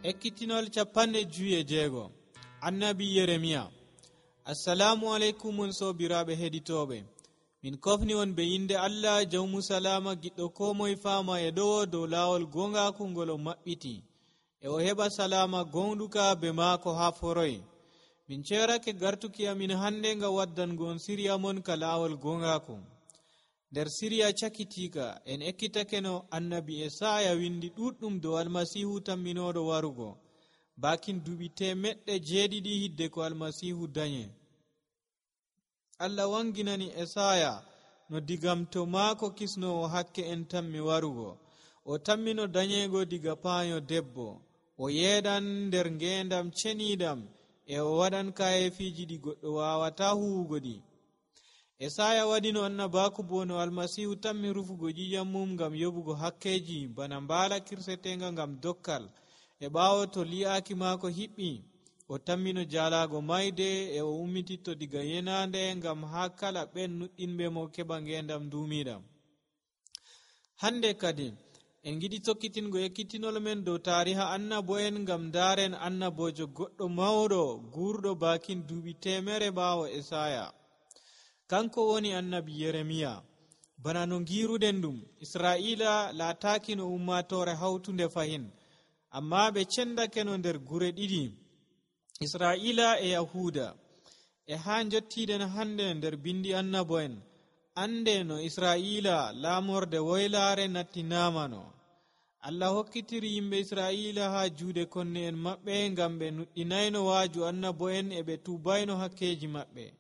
Ekkitinol 56 Annabi Yeremiya. Assalamu alaikum on sobiraɓe heɗitoɓe. Min kofni on be inde Allah jawmu salama giɗɗo ko moye fama e ɗowo dow lawol gongaku ngol o maɓɓiti e o heɓa salama gonɗuka be maako ha foroy. Min cerake gartuki amin hande nga waddango on siriya mon ka lawol gongaku. Nder siriya cakitika en ekkitake no annabi Esaya windi ɗuɗɗum dow almasihu tamminoɗo warugo bakin duɓi 700 hidde ko almasihu danye. Allah wanginani Esaya no digamto maako kisnowo hakke en tammi warugo. O tammino danyego diga paanyo debbo. O yeeɗan nder ngendam cenidam e o waɗan kayefiji ɗi goɗɗo wawata huwugo ɗi. Esaya waɗino annabaku bo no almasihu tammi rufugo ƴiƴam mum ngam yoɓugo hakkeji bana mbala kirsetenga ngam dokkal e ɓawo to li'aki maako hiɓɓi o tammino jalago mayde e o ummititto diga yenande ngam ha kala ɓen nuɗɗinɓe mo keɓa ngendam dumiɗam. Hande kadi en giɗi tokkitingo ekkitinol men dow tariha annabo'en ngam daren annabojo goɗɗo mawɗo gurɗo bakin duuɓi 100 ɓawo Esaya. Kanko woni annabi Yeremiya. Bana no giruɗen ɗum, Israila laataki no ummatore hawtunde fahin, amma ɓe cendake no nder gure ɗiɗi, Israila e Yahuda. E ha jottiɗen hande nder bindi annabo'en, ande no Israila laamorde woylare nattinamano. Allah hokkitiri yimɓe Israila ha juuɗe konne en maɓɓe ngam ɓe nuɗɗinayno waaju annabo'en e ɓe tubayno hakkeji maɓɓe.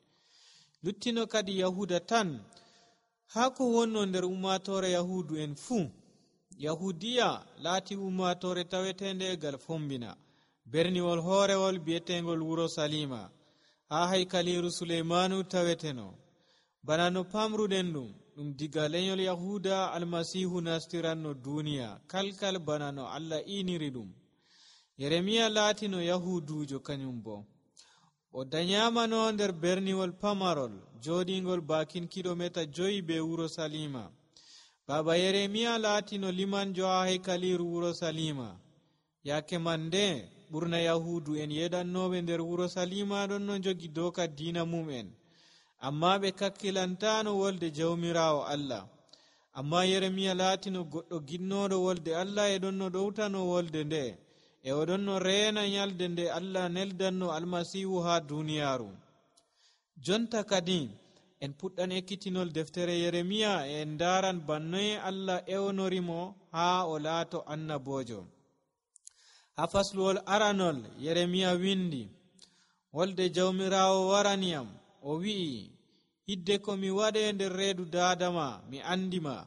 Luttino kadi Yahuda tan haa ko wonno nder ummatore Yahudu en fuu. Yahudiya laati ummatore tawetende gal fombina berniwol hoorewol bi'etengol wuro Salima ha haykaliru Suleymanu taweteno. Bana no pamruɗen ɗum diga lenyol Yahuda almasihu nastiranno duniya kalkal bana no Allah iniri ɗum. Yeremiya laati no Yahudujo kanyum bo. O danyamano nder berniwol pamarol joɗingol bakin kilomita 5 be wuro Salima. Baba Yeremiya laatino limanjo ha haykaliru wuro Salima. Yake mande ɓurna Yahudu en yeɗannoɓe nder wuro Salima ɗon no jogi doka dina mum'en, amma ɓe kakkilantano wolde jawmirawo Allah. Amma Yeremiya laatino goɗɗo ginnoɗo wolde Allah e ɗon no ɗowtano wolde nde e oɗon no reena nyalde nde Allah neldanno almasihu ha duniyaru. Jonta kadi en puɗɗan ekkitinol deftere Yeremiya e en daran bannoye Allah ewnorimo ha o laato annabojo. Ha fasluwol aranol Yeremiya windi, wolde jawmirawo waraniyam o wi'i, hidde ko mi waɗe nder reedu daadama mi andima,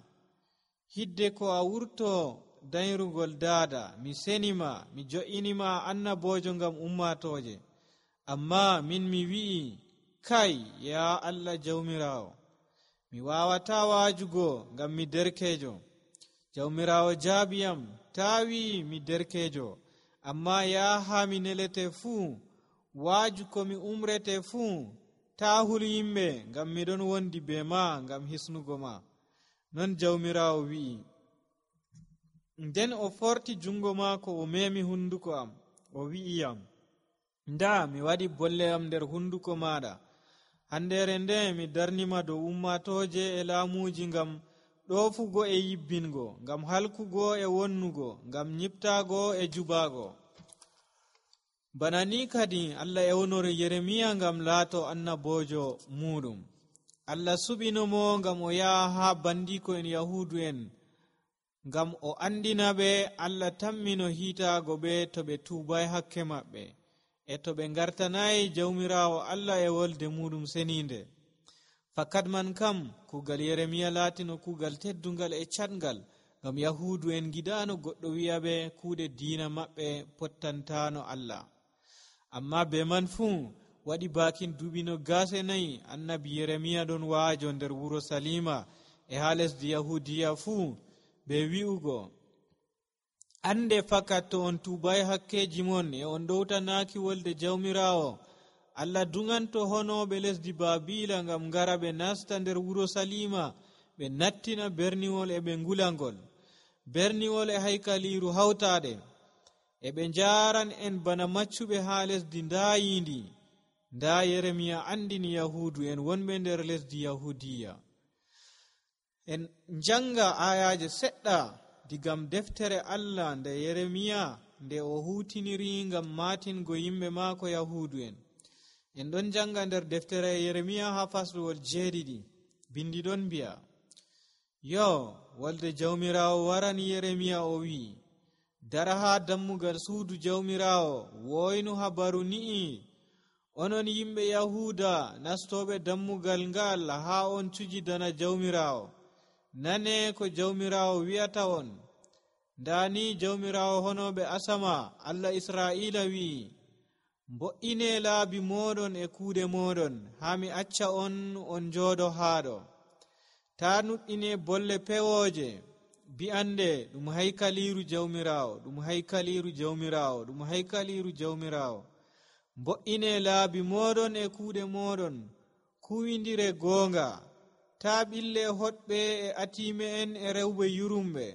hidde ko a wurto dayrugol daada mi senima, mi jo'inima annabojo ngam ummatoje. Amma min mi wi'i, kai ya Allah jawmirawo, mi wawata waajugo ngam mi derkejo. Jawmirawo jaabiyam, tawi mi derkejo, amma ya ha mi nelete fuu, waaju ko mi umrete fuu, ta hul yimɓe ngam miɗon wondi be ma ngam hisnugo ma. Non jawmirawo wi'i. Nden o forti jungo maako o memi hunduko am o wi'iyam, nda mi waɗi bolle am nder hunduko maɗa. Handere nde mi darnima dow ummatoje e laamuji ngam ɗofugo e yibbingo, ngam halkugo e wonnugo, ngam nyiptago e jubago. Bana ni kadi Allah ewnori Yeremiya ngam laato annabojo muɗum. Allah suɓinomo ngam o yaha ha bandiko en Yahudu en ngam o andina ɓe Allah tammino hiitago ɓe to ɓe tubay hakke maɓɓe e to ɓe gartanayi jawmirawo Allah e wolde muɗum seninde. Fakat man kam kugal Yeremiya laatino kugal teddungal e catngal, ngam Yahudu en giɗano goɗɗo wi'a ɓe kuuɗe diina maɓɓe pottantano Allah. Amma be man fuu waɗi bakin duuɓi 24 annabi Yeremiya ɗon waajo nder wuro Salima e ha lesdi Yahudiya fuu be wi'ugo, ande fakat to on tubay hakkeji mon e on ɗowtanaki wolde jawmirawo, Allah dunganto honoɓe lesdi Babila ngam ngara ɓe nasta nder wuro Salima ɓe nattina berniwol e ɓe ngulangol, berniwol e haykaliru hawtaɗe. e ɓe njaaran en bana maccuɓe haa lesdi ndaayindi. Nda Yeremiya andini Yahudu en wonɓe nder lesdi Yahudiya. En njanga ayaje seɗɗa digam deftere Allah nde Yeremiya nde o hutiniri ngam matingo yimɓe maako Yahudu en. En ɗon njanga nder deftere Yeremiya haa fasluwol 7. Bindi ɗon mbi'a, yo wolde jawmirawo warani Yeremiya o wi'i, dara haa dammugal suudu jawmirawo woynu habaru ni'i, onon yimɓe Yahuda nastoɓe dammugal ngal haa on cujidana jawmirawo. Nane ko jawmirawo wi'ata on. Ndani jawmirawo honoɓe asama Allah Isra'ila wi'i, mbo'ine laabi moɗon e kuuɗe moɗon haa mi acca on jooɗo haaɗo. Ta nuɗɗine bolle pewooje bi'ande ɗum haykaliru jawmirawo, ɗum haykaliru jawmirawo, ɗum haykaliru jawmirawo. Mbo'ine laabi moɗon e kuuɗe moɗon, kuwindire goonga. Ta ɓille hoɗɓe e atime en e rewɓe yurumɓe.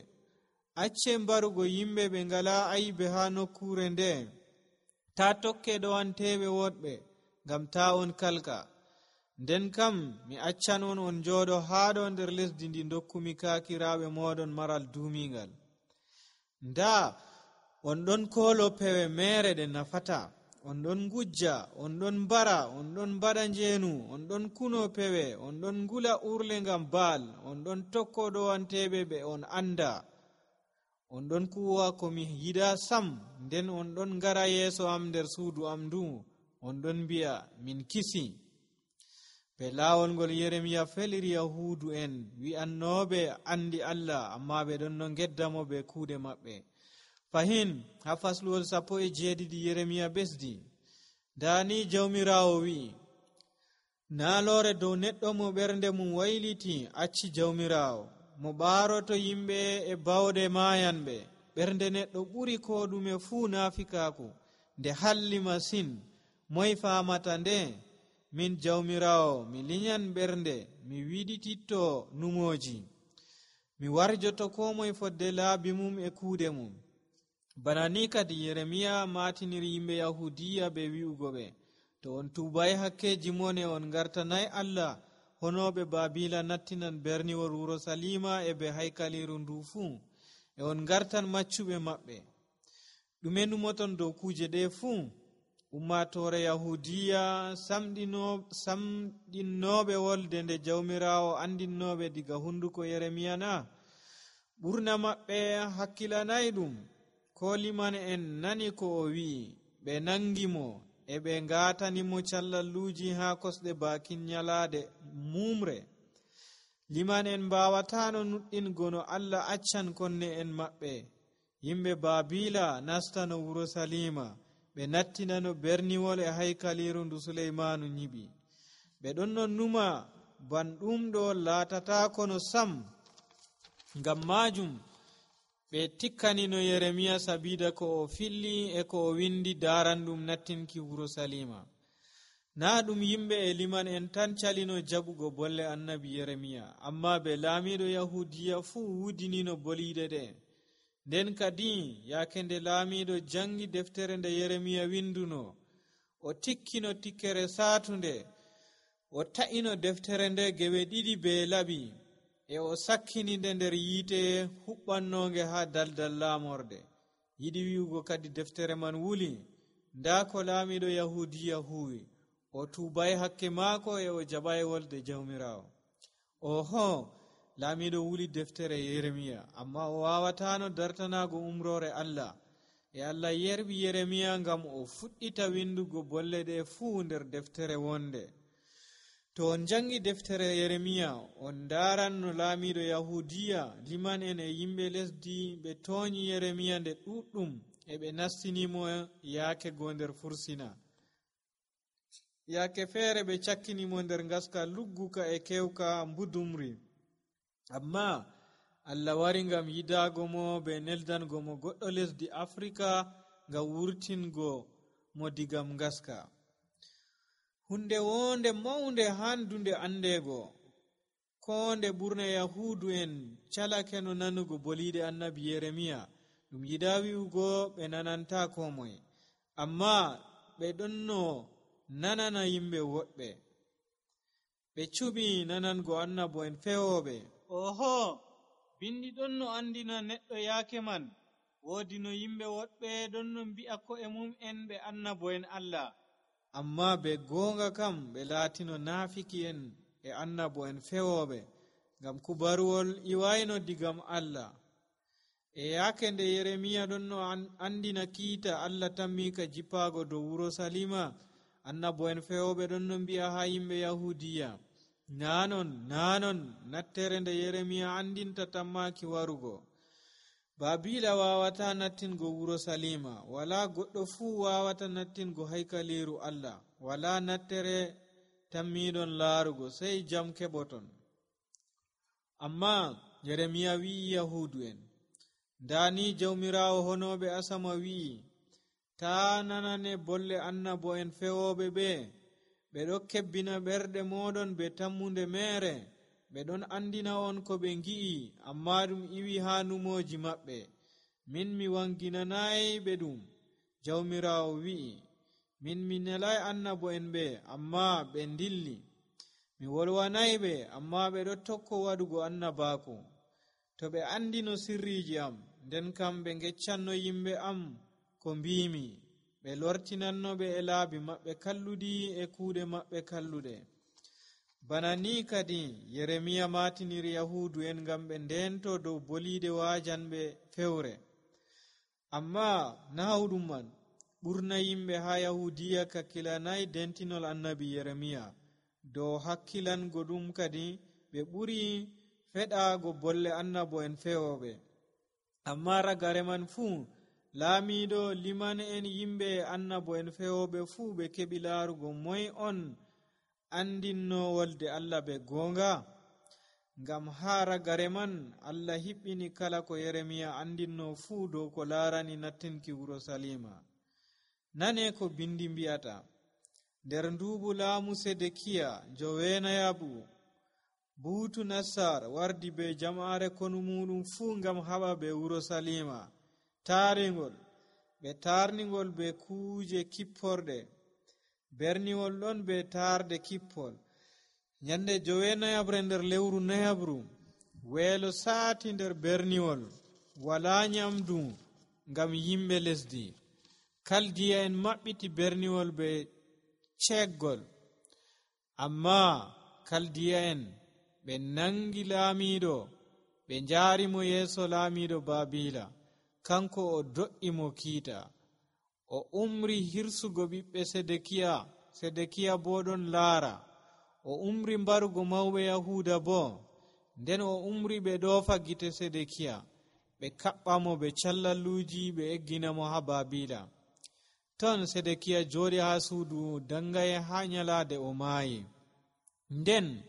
Acce mbarugo yimɓe ɓe ngala aybe haa nokkure nde. Ta tokke ɗowanteɓe woɗɓe, ngam ta on kalka. Nden kam mi accan on jooɗo haaɗo nder lesdi ndi dokkumi kaakiraaɓe moɗon maral duumingal. Nda on ɗon koolo pewe mere ɗe nafata, on ɗon ngujja, on ɗon mbara, on ɗon mbaɗa njeenu, on ɗon kuno pewe, on ɗon ngula urle ngam baal, on ɗon tokko ɗowanteɓe ɓe on anda. On ɗon kuwa ko mi yiɗa sam, nden on ɗon ngara yeeso am nder suudu am ndu, on ɗon mbi'a min kisi. Be laawol ngol Yeremiya feliri Yahudu en wi'annooɓe andi Allah, amma ɓe ɗon no ngeddamo be kuuɗe maɓɓe. Fahin haa fasluwol 17 Yeremiya besdi, dani jawmirawo wi'i, naaloore dow neɗɗo mo ɓernde mum wayliti acci jawmirawo, mo ɓaaroto yimɓe e bawɗe maayanɓe. Ɓernde neɗɗo ɓuri ko ɗume fuu naafikaaku, nde halli masin. Moy faamata nde? Min jawmirawo mi linyan ɓernde, mi wiɗititto numoji, mi warjoto ko moye fodde laabi mum e kuuɗe mum. Bana ni kadi Yeremiya matiniri yimɓe Yahudiya be wi'ugo ɓe, to on tubay hakkeji mon e on gartanay Allah, honoɓe Babila nattinan berniwol Urusalima e be haykaliru ndu fuu, e on gartan maccuɓe maɓɓe. Ɗume numoton dow kuje ɗe fuu? Ummatore Yahudiya samɗinnoɓe wolde nde jawmirawo andinnoɓe diga hunduko Yeremiya na? Ɓurna maɓɓe hakkilanay ɗum. Ko liman en nani ko o wi'i, ɓe nangimo e ɓe ngatanimo callalluji haa kosɗe bakin nyalaade mumre. Liman en mbawatano nuɗɗingo no Allah accan konne en maɓɓe. Yimɓe Babila nastano Urusalima, ɓe nattinano berniwol e haykaliru ndu Suleymanu nyiɓi. Ɓe ɗon non numa ban ɗum ɗo laatata kono sam. Ngam majum ɓe tikkanino Yeremiya sabida ko o filli e ko o windi daran ɗum nattinki Urusalima. Na ɗum yimɓe e liman en tan calino jaɓugo bolle annabi Yeremiya, amma be laamiɗo Yahudiya fuu wudinino boliɗe ɗe. Nden kadi yaake nde laamiɗo jangi deftere nde Yeremiya winduno, o tikkino tikkere saatunde, o ta'ino deftere nde gewe ɗiɗi be laɓi, e o sakkininde nder yiite huɓɓannonge haa daldal laamorde. Yiɗi wi'ugo kadi deftere man wuli. Nda ko laamiɗo Yahudiya huwi, o tuubay hakke maako e o jaɓay wolde jawmirawo. Oho, laamiɗo wuli deftere Yeremiya, amma o wawatano dartanago umrore Allah. E Allah yerɓi Yeremiya ngam o fuɗɗita windugo bolle ɗe fuu nder deftere wonde. To on jangi deftere Yeremiya, on daran no laamiɗo Yahudiya, liman en e yimɓe lesdi ɓe tooñi Yeremiya nde ɗuɗɗum, e ɓe nastinimo yaake go nder fursina. Yaake feere ɓe cakkinimo nder ngaska lugguka e kewka mbudumri. Amma Allah wari ngam yidago mo be neldango mo goɗɗo lesdi Afrika ngam wurtingo mo digam ngaska. Hunde wonde maunde handunde andego, ko nde ɓurna Yahudu en calake no nanugo boliɗe annabi Yeremiya, ɗum yiɗa wi'ugo ɓe nananta ko moye, amma ɓe ɗonno nanana yimɓe woɗɓe. Ɓe cuɓi nanango annabo'en fewoɓe. Oho, bindi ɗon no andina neɗɗo yaake man woodi no yimɓe woɗɓe ɗon no mbi'a ko'e mum en ɓe annabo'en Allah, amma be goonga kam ɓe laatino naafiki'en e annabo'en fewoɓe, ngam kubaruwol iwayno digam Allah. E yaake nde Yeremiya ɗon no andina kiita Allah tammika jippaago dow wuro Salima, annabo'en fewoɓe ɗon no mbi'a ha yimɓe Yahudiya, nanon nattere nde Yeremiya andinta tammaki warugo. Babila wawata nattingo wuro Salima, wala goɗɗo fuu wawata nattingo haykaliru Allah, wala nattere tammiɗon laarugo, sai jam keɓoton. Amma Yeremiya wi'i Yahudu en, ndani jawmirawo honoɓe asama wi'i, ta nanane bolle annabo'en fewoɓe ɓe ɗo kebbina ɓerɗe moɗon be tammunde mere. Ɓe ɗon andina on ko ɓe ngi'i, amma ɗum iwi ha numoji maɓɓe. Min mi wanginanayi ɓe ɗum, jawmirawo wi'i. Min mi nelai annabo'en ɓe, amma ɓe dilli. Mi wolwanayi ɓe, amma ɓe ɗo tokko waɗugo annabaku. To ɓe andino sirriji am, nden kam ɓe ngeccanno yimɓe am ko mbimi. Ɓe lortinanno ɓe e laabi maɓɓe kalludi e kuuɗe maɓɓe kalluɗe. Bana ni kadi Yeremiya matiniri Yahudu en ngam ɓe ndento dow boliide wajanɓe fewre. Amma nahawɗum man, ɓurna yimɓe ha Yahudiya kakkilanayi dentinol annabi Yeremiya. Dow hakkilango ɗum kadi ɓe ɓuri feɗaago bolle annabo'en fewoɓe. Amma ragare man fuu, laamiɗo liman en yimɓe annabo'en fewoɓe fuu ɓe keɓi laarugo moy on andinno wolde Allah be goonga. Ngam ha ragare man Allah hiɓɓini kala ko Yeremiya andinno fuu dow ko laarani nattinki wuro Salima. Nane ko bindi mbi'ata, nder nduubu laamu Sedekiya joweenayaɓu, Buutu Nassar wardi be jama'are konu muɗum fuu ngam haɓa be wuro Salima taaringol. Ɓe tarningol be kuuje kipporɗe. Berniwol ɗon be taarde kippol. Nyande 9 nder lewru Nayabru, weelo saati nder berniwol, wala nyamdu ngam yimɓe lesdi. Kaldiya en maɓɓiti berniwol be ceggol, amma Kaldiya en ɓe nangi laamiɗo, ɓe njaarimo yeeso laamiɗo Babila. Kanko o do'i mo kiita, o umri hirsugo ɓiɓɓe Sedekiya bo ɗon laara. O umri mbarugo mawɓe Yahuda bo, nden o umri ɓe ɗoofa gite Sedekiya, ɓe kaɓɓa mo be callalluji, ɓe eggina mo ha Babila. Ton Sedekiya jooɗi ha suudu dangaye ha nyalaade o maayi. Nden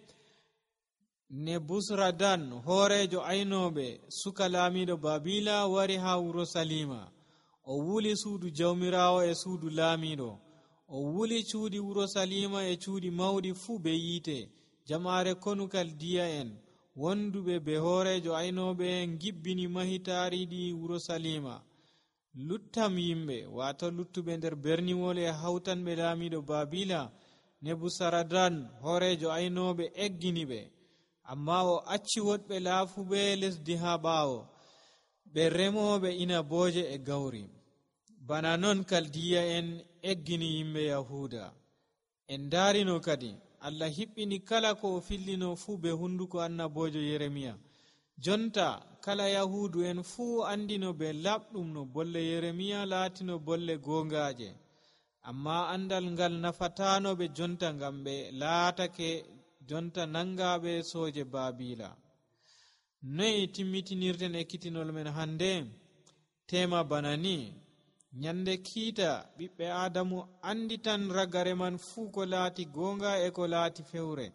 Nebusaradan hoorejo aynooɓe suka laamiɗo Babila wari ha wuro Salima. O wuli suudu jawmirawo e suudu laamiɗo. O wuli cuuɗi wuro Salima e cuuɗi mawɗi fuu be yiite. Jama'are konu Kaldiya en wonduɓe be hoorejo aynooɓe gibbini mahitaariɗi wuro Salima. Luttam yimɓe, wato luttuɓe nder berniwol e hawtanɓe laamiɗo Babila, Nebusaradan hoorejo aynooɓe eggini ɓe. Amma o acci woɗɓe laafuɓe lesdi ha ɓaawo, ɓe remooɓe inabooje e gawri. Bana non Kaldiya en eggini yimɓe Yahuda. En daarino kadi Allah hiɓɓini kala ko o fillino fuu be hunduko annabojo Yeremiya. Jonta kala Yahudu en fuu andino be laɓɗum no bolle Yeremiya laatino bolle goongaaje. Amma andal ngal nafatano ɓe jonta, ngam ɓe laatake jonta nangaɓe sooje Babila. Noy timmitinirten ekkitinol men hande? Tema bana ni: nyande kiita ɓiɓɓe Adamu anditan ragare man fuu ko laati goonga e ko laati fewre.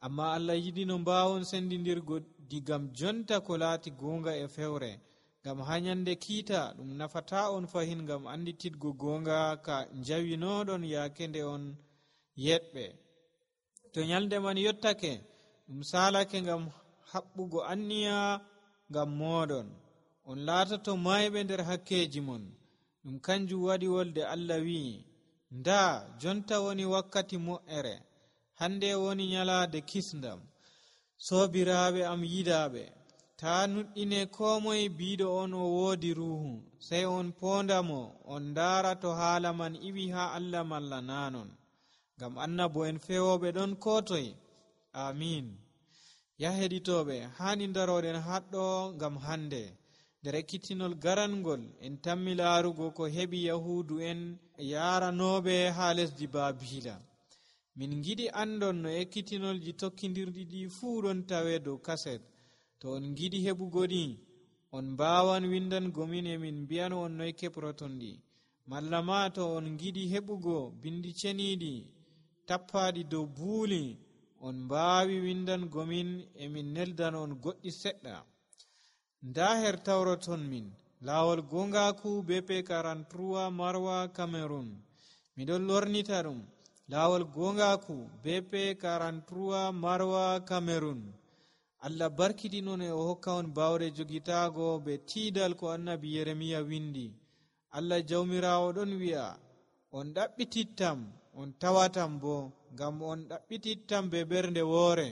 Amma Allah yiɗi no mbawon sendidirgo digam jonta ko laati goonga e fewre. Ngam ha nyande kiita ɗum nafata on fahin ngam anditidgo goonga ka njawinoɗon yaake nde on yeɗɓe. To nyalde man yottake, ɗum salake ngam haɓɓugo anniya ngam moɗon. on laatoto mayɓe nder hakkeji mon. Ɗum kanjum waɗi wolde Allah wi'i, nda jonta woni wakkati mo'ere, hande woni nyalaade kisndam. Soobiraaɓe am yiɗaaɓe, taa nuɗɗine ko moye biiɗo on o woodi ruuhu, sey on poondamo, on ndaara to haala man iwi haa Allah malla naanon. Ngam annabo en fewoɓe ɗon ko toye. Amin. Ya heɗitooɓe, haani daroɗen haɗɗo ngam hande. Nder ekkitinol garangol en tammi laarugo ko heɓi Yahuudu en yaaranooɓe haa lesdi Baabiila. Min giɗi andon no ekkitinolji tokkidirɗi ɗi fuu ɗon tawe dow kaset. To on giɗi heɓugo ɗi, on mbaawan windango min e min mbi'an on noy keɓroton ɗi. Malla ma to on giɗi heɓugo bindi ceniiɗi tappaaɗi dow buuli, on mbaawi windango min e min neldan on goɗɗi seɗɗa. Nda her tawroton min laawol gongaku BP 43 Marwa Cameroon. Miɗon lornita ɗum laawol gongaku BP 43 Marwa Cameroon. Allah barkiɗinon e o hokka on bawɗe jogitaago be tiidal ko annabi Yeremiya windi. Allah jawmiraawo ɗon wi'a, on ɗaɓɓitittam, on tawatam bo, ngam on ɗaɓɓitittam be ɓernde woore.